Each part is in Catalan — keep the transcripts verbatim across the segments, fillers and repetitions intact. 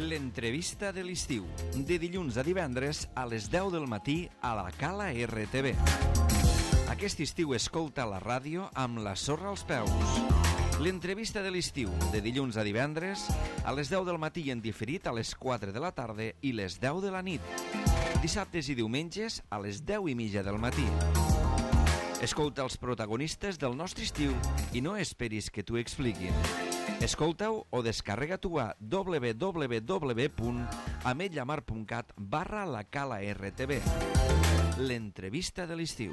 L'entrevista de l'estiu, de dilluns a divendres a les deu del matí a la Cala R T V. Aquest estiu escolta la ràdio amb la sorra als peus. L'entrevista de l'estiu, de dilluns a divendres a les deu del matí i en diferit a les quatre de la tarda i les deu de la nit. Dissabtes i diumenges a les deu i mitja del matí. Escolta els protagonistes del nostre estiu i no esperis que t'ho expliquin. Escolta-ho o descarrega-t'ho a w w w punt ametlla mar punt cat barra la Cala R T V. L'entrevista de l'estiu.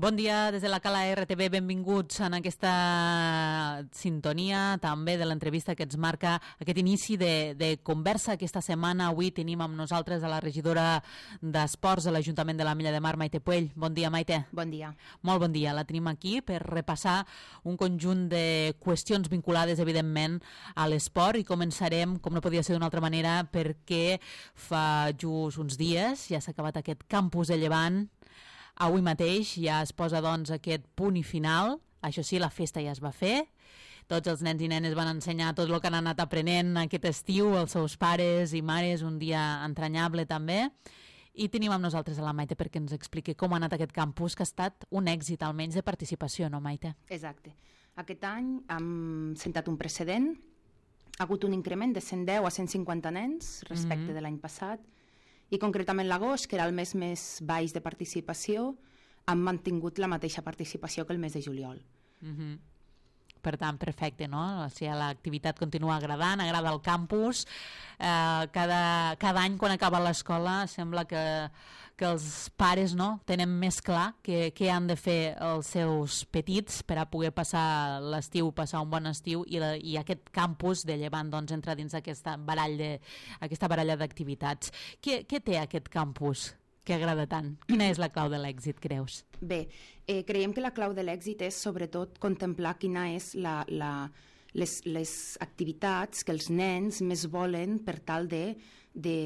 Bon dia des de la Cala R T V, benvinguts en aquesta sintonia també de l'entrevista que ens marca aquest inici de, de conversa aquesta setmana. Avui tenim amb nosaltres a la regidora d'Esports de l'Ajuntament de l'Ametlla de Mar, Maite Puell. Bon dia, Maite. Bon dia. Molt bon dia. La tenim aquí per repassar un conjunt de qüestions vinculades, evidentment, a l'esport i començarem, com no podia ser d'una altra manera, perquè fa just uns dies ja s'ha acabat aquest campus de Llevant. Avui mateix ja es posa doncs aquest punt i final. Això sí, la festa ja es va fer. Tots els nens i nenes van ensenyar tot el que han anat aprenent aquest estiu, els seus pares i mares, un dia entranyable també. I tenim amb nosaltres a la Maite perquè ens expliqui com ha anat aquest campus, que ha estat un èxit almenys de participació, no, Maite? Exacte. Aquest any hem sentat un precedent. Ha hagut un increment de cent deu a cent cinquanta nens respecte mm-hmm. de l'any passat. I concretament l'agost, que era el mes més baix de participació, han mantingut la mateixa participació que el mes de juliol. Mm-hmm. Per tant, perfecte, no? O sigui, l'activitat continua agradant, agrada el campus. Eh, cada, cada any, quan acaba l'escola, sembla que, que els pares no, tenen més clar què, què han de fer els seus petits per a poder passar l'estiu, passar un bon estiu, i, la, i aquest campus de Llevant doncs, entra dins aquesta barall de, aquesta baralla d'activitats. Què, què té aquest campus que agrada tant? Quina és la clau de l'èxit, creus? Bé, eh, creiem que la clau de l'èxit és sobretot contemplar quina és la, la, les, les activitats que els nens més volen per tal de, de,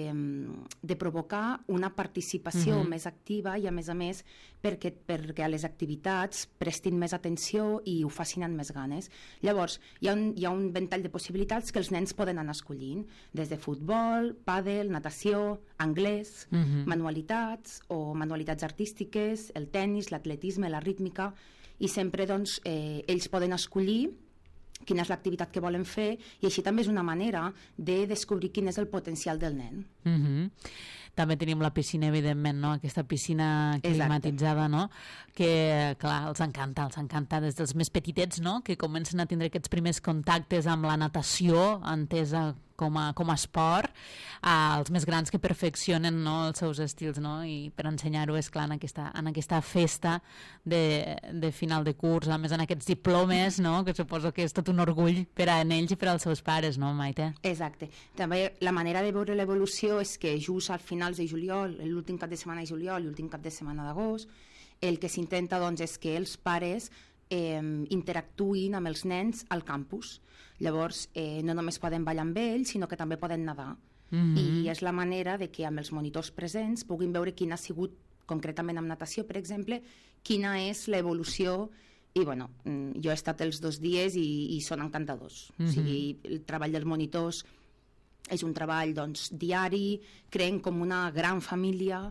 de provocar una participació mm-hmm. més activa i a més a més perquè, perquè a les activitats prestin més atenció i ho facin amb més ganes. Llavors, hi ha, un, hi ha un ventall de possibilitats que els nens poden anar escollint, des de futbol, pàdel, natació, anglès, mm-hmm. manualitats o manualitats artístiques, el tennis, l'atletisme, la rítmica, i sempre doncs, eh, ells poden escollir quina és l'activitat que volen fer i així també és una manera de descobrir quin és el potencial del nen. Mm-hmm. També tenim la piscina, evidentment, no? Aquesta piscina climatitzada, no? Que, clar, els encanta, els encanta des dels més petitets, no? Que comencen a tindre aquests primers contactes amb la natació, entesa com a, com a esport, als més grans que perfeccionen, no, els seus estils, no? I per ensenyar-ho, és clar, en aquesta, en aquesta festa de, de final de curs, a més en aquests diplomes, no? Que suposo que és tot un orgull per a ells i per als seus pares, no, Maite? Exacte. També la manera de veure l'evolució és que just al finals de juliol, l'últim cap de setmana de juliol i l'últim cap de setmana d'agost, el que s'intenta doncs és que els pares Eh, interactuïn amb els nens al campus. Llavors eh, no només poden ballar amb ells, sinó que també poden nedar. Mm-hmm. I és la manera de que amb els monitors presents puguin veure quina ha sigut, concretament amb natació, per exemple, quina és l'evolució. I bueno, jo he estat els dos dies i, i són encantadors. Mm-hmm. O sigui, el treball dels monitors és un treball doncs, diari, creen com una gran família,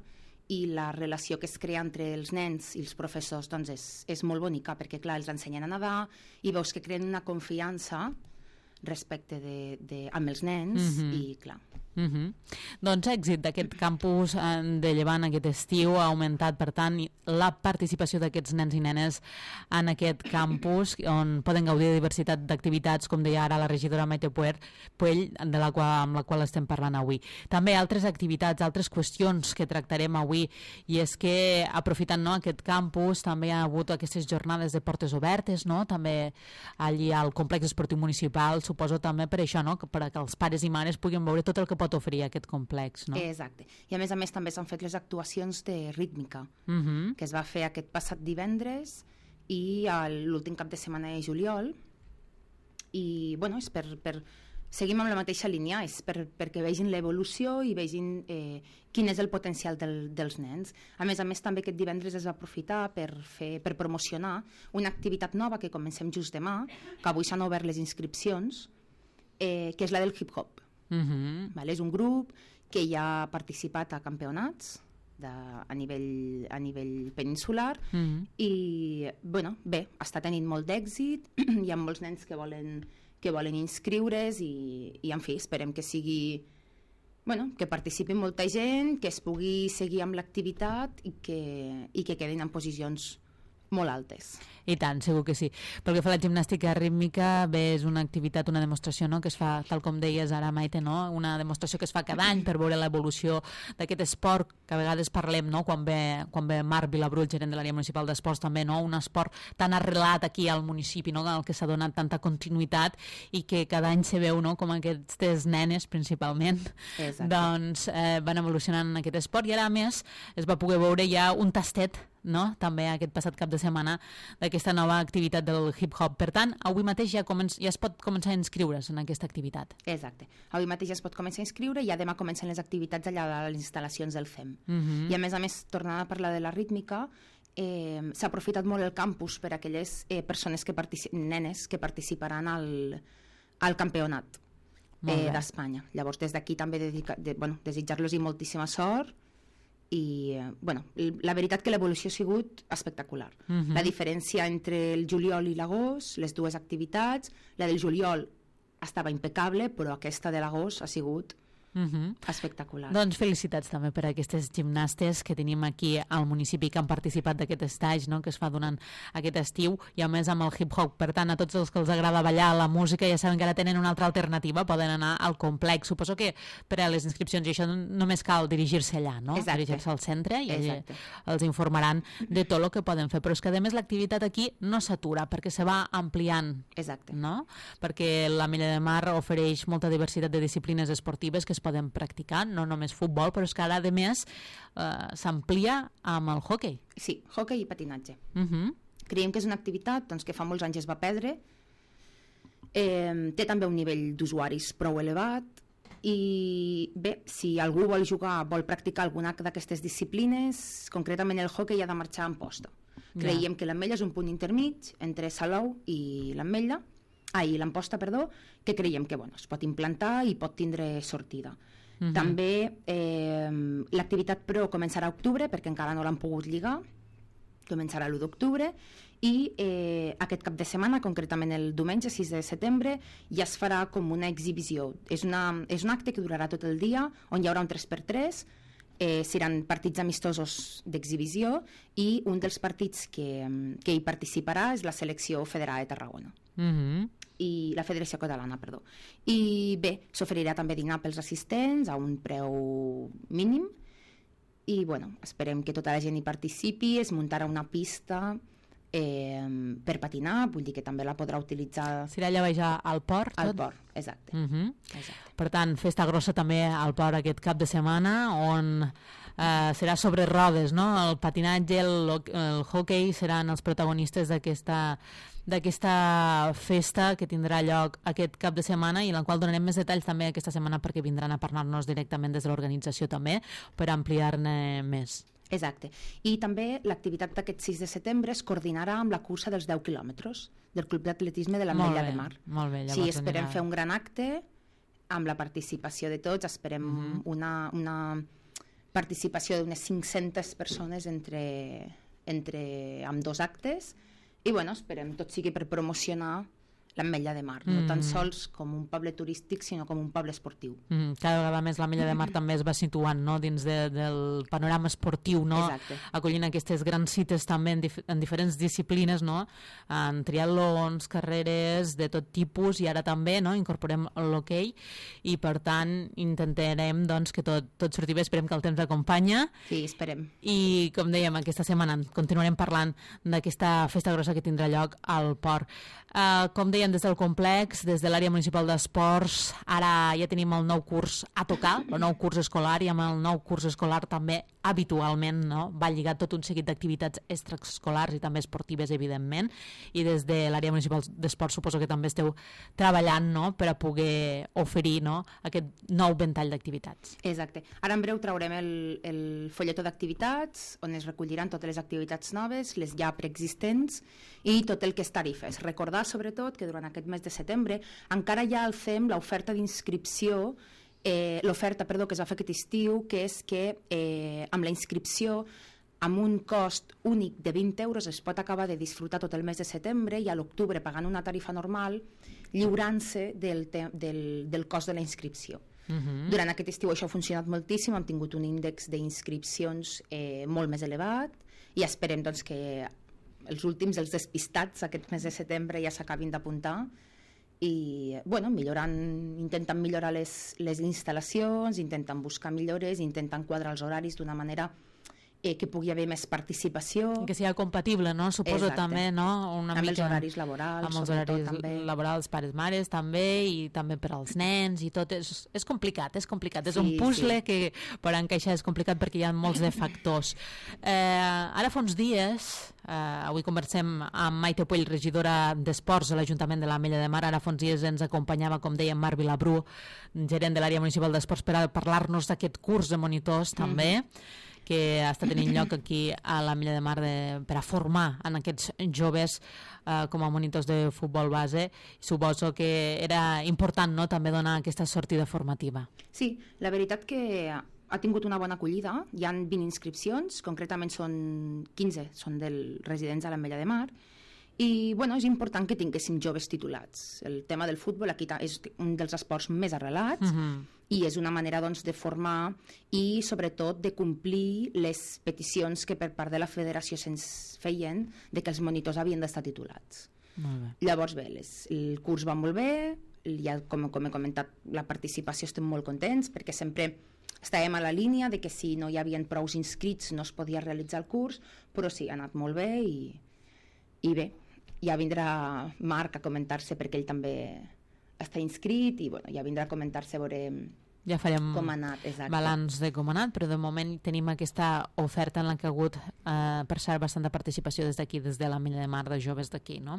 i la relació que es crea entre els nens i els professors doncs és, és molt bonica, perquè clar, els ensenyen a nedar i veus que creen una confiança respecte de, de, amb els nens mm-hmm. i clar. Mm-hmm. Doncs èxit d'aquest campus de Llevant aquest estiu ha augmentat, per tant, la participació d'aquests nens i nenes en aquest campus on poden gaudir de diversitat d'activitats, com deia ara la regidora Maite Puell, de la qual, amb la qual estem parlant avui. També altres activitats, altres qüestions que tractarem avui, i és que aprofitant no, aquest campus també hi ha hagut aquestes jornades de portes obertes, no? També allí al complex esportiu municipal, suposo també per això, no? Per que els pares i mares puguin veure tot el que pot oferir aquest complex, no? Exacte. I a més a més també s'han fet les actuacions de rítmica, uh-huh. que es va fer aquest passat divendres i l'últim cap de setmana de juliol, i bueno, és per, per seguim amb la mateixa línia, és per, perquè vegin l'evolució i vegin eh, quin és el potencial del, dels nens. A més a més, també aquest divendres es va aprofitar per, fer, per promocionar una activitat nova que comencem just demà, que avui s'han obert les inscripcions, eh, que és la del hip-hop. Uh-huh. Vale? És un grup que ja ha participat a campionats de, a, nivell, a nivell peninsular uh-huh. i bueno, bé, està tenint molt d'èxit, hi ha molts nens que volen, que volen inscriure's i, i en fi, esperem que sigui bueno, que participi molta gent, que es pugui seguir amb l'activitat i que, i que quedin en posicions molt altes. I tant, segur que sí. Pel que fa a la gimnàstica rítmica, bé, és una activitat, una demostració, no?, que es fa, tal com deies ara, Maite, no?, una demostració que es fa cada any per veure l'evolució d'aquest esport, que a vegades parlem, no?, quan ve, quan ve Marc Vilabrú, gerent de l'àrea municipal d'esports, també, no?, un esport tan arrelat aquí al municipi, no?, al que s'ha donat tanta continuïtat i que cada any se veu, no?, com aquestes nenes, principalment, Exacte. doncs eh, van evolucionant en aquest esport i ara, a més, es va poder veure ja un tastet, no?, també aquest passat cap de setmana d'aquesta nova activitat del hip-hop. Per tant, avui mateix ja, començ, ja es pot començar a inscriure's en aquesta activitat. Exacte. Avui mateix ja es pot començar a inscriure i ja demà comencen les activitats allà a les instal·lacions del F E M. Uh-huh. I a més a més, tornant a parlar de la rítmica, eh, s'ha aprofitat molt el campus per a aquelles eh, persones, que partici- nenes que participaran al, al campionat eh, d'Espanya. Llavors, des d'aquí també dedica, de, bueno, desitjar-los-hi moltíssima sort i, eh, bueno, la veritat que l'evolució ha sigut espectacular. Uh-huh. La diferència entre el juliol i l'agost, les dues activitats, la del juliol estava impecable, però aquesta de l'agost ha sigut Uh-huh. espectacular. Doncs felicitats també per a aquestes gimnastes que tenim aquí al municipi que han participat d'aquest estatge, no?, que es fa durant aquest estiu i a més amb el hip-hop. Per tant, a tots els que els agrada ballar la música ja saben que ara tenen una altra alternativa, poden anar al complex. Suposo que per a les inscripcions i això només cal dirigir-se allà, no? Exacte. Dirigir-se al centre i Exacte. els informaran de tot el que poden fer. Però és que a més l'activitat aquí no s'atura perquè se va ampliant. Exacte. No? Perquè l'Ametlla de Mar ofereix molta diversitat de disciplines esportives que es poden practicar, no només futbol, però és que ara, a més, eh, s'amplia amb el hoquei. Sí, hoquei i patinatge. Uh-huh. Creiem que és una activitat doncs, que fa molts anys es va perdre, eh, té també un nivell d'usuaris prou elevat i bé, si algú vol jugar, vol practicar alguna d'aquestes disciplines, concretament el hoquei ha de marxar en posta. Creiem que l'Ametlla és un punt intermig entre Salou i l'Ametlla, ah, i l'Amposta, perdó, que creiem que bueno, es pot implantar i pot tindre sortida. Uh-huh. També eh, l'activitat Pro començarà a octubre, perquè encara no l'han pogut lligar, començarà l'u d'octubre, i eh, aquest cap de setmana, concretament el diumenge sis de setembre, ja es farà com una exhibició. És, una, és un acte que durarà tot el dia, on hi haurà un tres per tres, eh, seran partits amistosos d'exhibició, i un dels partits que, que hi participarà és la selecció federada de Tarragona. Uh-huh. I la Federació Catalana, perdó. I bé, s'oferirà també dinar pels assistents a un preu mínim i bueno, esperem que tota la gent hi participi, es muntarà una pista eh, per patinar, vull dir que també la podrà utilitzar Serà allà baix al port? al tot? port, exacte. Uh-huh. exacte. Per tant, festa grossa també al port aquest cap de setmana, on eh, serà sobre rodes, no? El patinatge, el, el hoquei seran els protagonistes d'aquesta d'aquesta festa que tindrà lloc aquest cap de setmana i en la qual donarem més detalls també aquesta setmana perquè vindran a parlar-nos directament des de l'organització també per ampliar-ne més. Exacte. I també l'activitat d'aquest sis de setembre es coordinarà amb la cursa dels deu quilòmetres del Club d'Atletisme de l'Ametlla de Mar. Molt bé, sí, esperem fer un gran acte amb la participació de tots, esperem uh-huh. una, una participació d'unes cinc-centes persones entre, entre amb dos actes. I bueno, esperem tot sigui per promocionar l'Ametlla de Mar, no mm. tan sols com un poble turístic, sinó com un poble esportiu. Mm, cada vegada més l'Ametlla de Mar també es va situant, no?, dins de, del panorama esportiu, no? Exacte. Acollint aquestes grans cites també en, dif en diferents disciplines, no?, en triatlons, carreres de tot tipus, i ara també, no?, incorporem l'hoquei, i per tant intentarem, doncs, que tot, tot surti bé, esperem que el temps acompanya. Sí, esperem. I, com dèiem, aquesta setmana continuarem parlant d'aquesta festa grossa que tindrà lloc al port. Uh, com deia dèiem, des del complex, des de l'àrea municipal d'esports, ara ja tenim el nou curs a tocar, el nou curs escolar, i amb el nou curs escolar també habitualment, no?, va lligat tot un seguit d'activitats extraescolars i també esportives, evidentment, i des de l'àrea municipal d'esports suposo que també esteu treballant, no?, per a poder oferir, no?, aquest nou ventall d'activitats. Exacte. Ara en breu traurem el, el folletó d'activitats, on es recolliran totes les activitats noves, les ja preexistents, i tot el que és tarifes. Recordar, sobretot, que durant aquest mes de setembre encara hi ha al C E M l'oferta d'inscripció, eh, l'oferta, perdó, que es va fer aquest estiu, que és que eh, amb la inscripció amb un cost únic de vint euros es pot acabar de disfrutar tot el mes de setembre i a l'octubre, pagant una tarifa normal, lliurant-se del, del, del cost de la inscripció. Uh-huh. Durant aquest estiu això ha funcionat moltíssim, hem tingut un índex d'inscripcions eh, molt més elevat i esperem doncs, que els últims, els despistats aquest mes de setembre ja s'acabin d'apuntar i bueno, millorant, intentant millorar les, les instal·lacions, intentant buscar millores, intentant quadrar els horaris d'una manera eh, que pugui haver més participació. Que sigui compatible, no? Suposo. Exacte. També, no? Una amb mica, els horaris laborals. Amb els horaris també. laborals, pares-mares també, i també per als nens i tot. És, és complicat, és complicat. Sí, és un puzzle sí. que per encaixar és complicat perquè hi ha molts de factors. Eh, ara fa uns dies, eh, avui conversem amb Maite Puell, regidora d'Esports a l'Ajuntament de l'Ametlla de Mar. Ara fa uns dies ens acompanyava, com deia, Marc Vilabrú, gerent de l'àrea municipal d'Esports, per a parlar-nos d'aquest curs de monitors també, mm-hmm. que està tenint lloc aquí a l'Ametlla de Mar de, per a formar en aquests joves eh, com a monitors de futbol base. Suposo que era important, no?, també donar aquesta sortida formativa. Sí, la veritat que ha tingut una bona acollida. Hi ha vint inscripcions, concretament són quinze, són dels residents a l'Ametlla de Mar. I bueno, és important que tinguéssim joves titulats. El tema del futbol aquí és un dels esports més arrelats, uh-huh. i és una manera doncs, de formar i sobretot de complir les peticions que per part de la federació se'ns feien de que els monitors havien d'estar titulats. Molt bé. Llavors bé, les, el curs va molt bé, ja, com, com he comentat, la participació estem molt contents perquè sempre estàvem a la línia de que si no hi havia prous inscrits no es podia realitzar el curs, però sí, ha anat molt bé i, i bé, ja vindrà Marc a comentar-se perquè ell també està inscrit i bueno, ja vindrà a comentar-se, veurem ja farem com ha anat, exacte. balanç de com ha anat, però de moment tenim aquesta oferta en la que ha hagut eh, per cert bastanta participació des d'aquí, des de l'Ametlla de Mar, de joves d'aquí, no?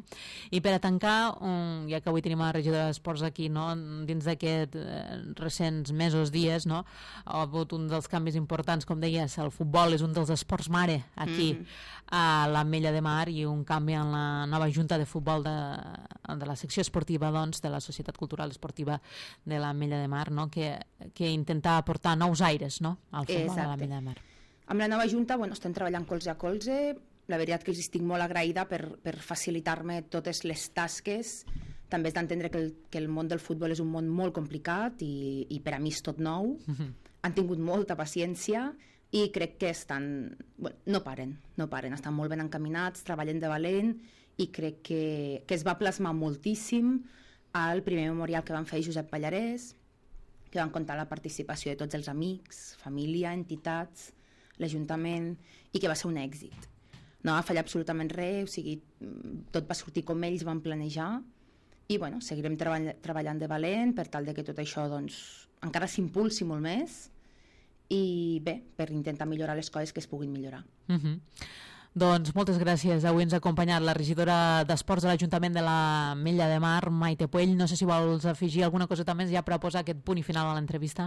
I per a tancar, um, ja que avui tenim la regidora d'Esports aquí, no?, dins d'aquests eh, recents mesos, dies, no?, ha hagut un dels canvis importants, com deies, el futbol és un dels esports mare aquí mm-hmm. a l'Ametlla de Mar, i un canvi en la nova junta de futbol de, de la secció esportiva, doncs, de la Societat Cultural Esportiva de l'Ametlla de Mar, no?, que que intenta aportar nous aires, no?, al futbol de l'Ametlla de Mar. Amb la nova junta bueno, estem treballant colze a colze. La veritat que els estic molt agraïda per, per facilitar-me totes les tasques. També és d'entendre que, el, que el món del futbol és un món molt complicat i, i per a mi és tot nou. Mm-hmm. Han tingut molta paciència i crec que estan... Bueno, no paren, no paren, estan molt ben encaminats, treballen de valent i crec que, que es va plasmar moltíssim al primer memorial que van fer Josep Pallarès, que van comptar la participació de tots els amics, família, entitats, l'Ajuntament, i que va ser un èxit. No va fallar absolutament res, o sigui, tot va sortir com ells van planejar, i bueno, seguirem treball treballant de valent per tal de que tot això doncs, encara s'impulsi molt més, i bé, per intentar millorar les coses que es puguin millorar. Uh-huh. Doncs moltes gràcies. Avui ens ha acompanyat la regidora d'Esports de l'Ajuntament de l'Ametlla de Mar, Maite Puell. No sé si vols afegir alguna cosa més ja per a posar aquest punt i final a l'entrevista.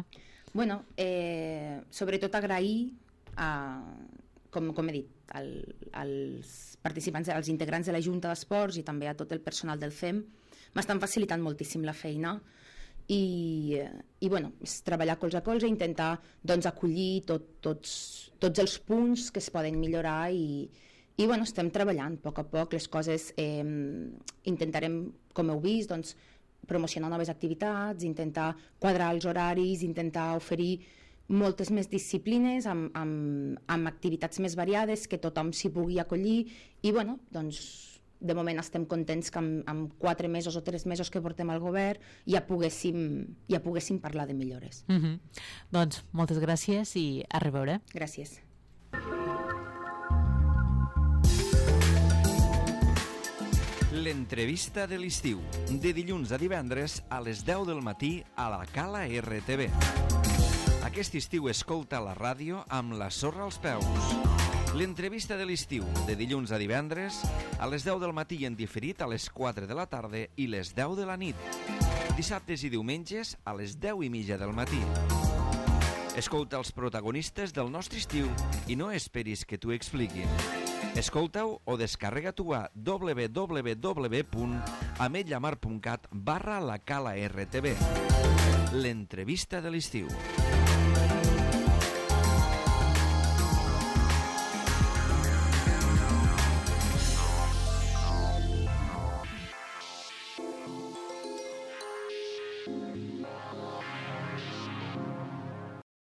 Bueno, eh, sobretot agrair, a, com, com he dit, al, als participants, als integrants de la Junta d'Esports i també a tot el personal del C E M. M'estan facilitant moltíssim la feina i, i bueno, és treballar colze a colze, intentar doncs, acollir tot, tots, tots els punts que es poden millorar i, i bueno, estem treballant a poc a poc les coses. Eh, intentarem, com heu vist, doncs, promocionar noves activitats, intentar quadrar els horaris, intentar oferir moltes més disciplines amb, amb, amb activitats més variades, que tothom s'hi pugui acollir i bueno, doncs de moment estem contents que amb, amb quatre mesos o tres mesos que portem al govern ja poguéssim, ja poguéssim parlar de millores. Mm-hmm. Doncs moltes gràcies i a reveure. Gràcies. L'entrevista de l'estiu, de dilluns a divendres a les deu del matí a la Cala R T V. Aquest estiu escolta la ràdio amb la sorra als peus. L'entrevista de l'estiu, de dilluns a divendres a les deu del matí i en diferit a les quatre de la tarda i les deu de la nit. Dissabtes i diumenges a les deu i mitja del matí. Escolta els protagonistes del nostre estiu i no esperis que t'ho expliquin. Escolta-ho o descarrega-t'ho a w w w punt ametlllamar punt cat barra la Cala R T V. L'entrevista de l'estiu.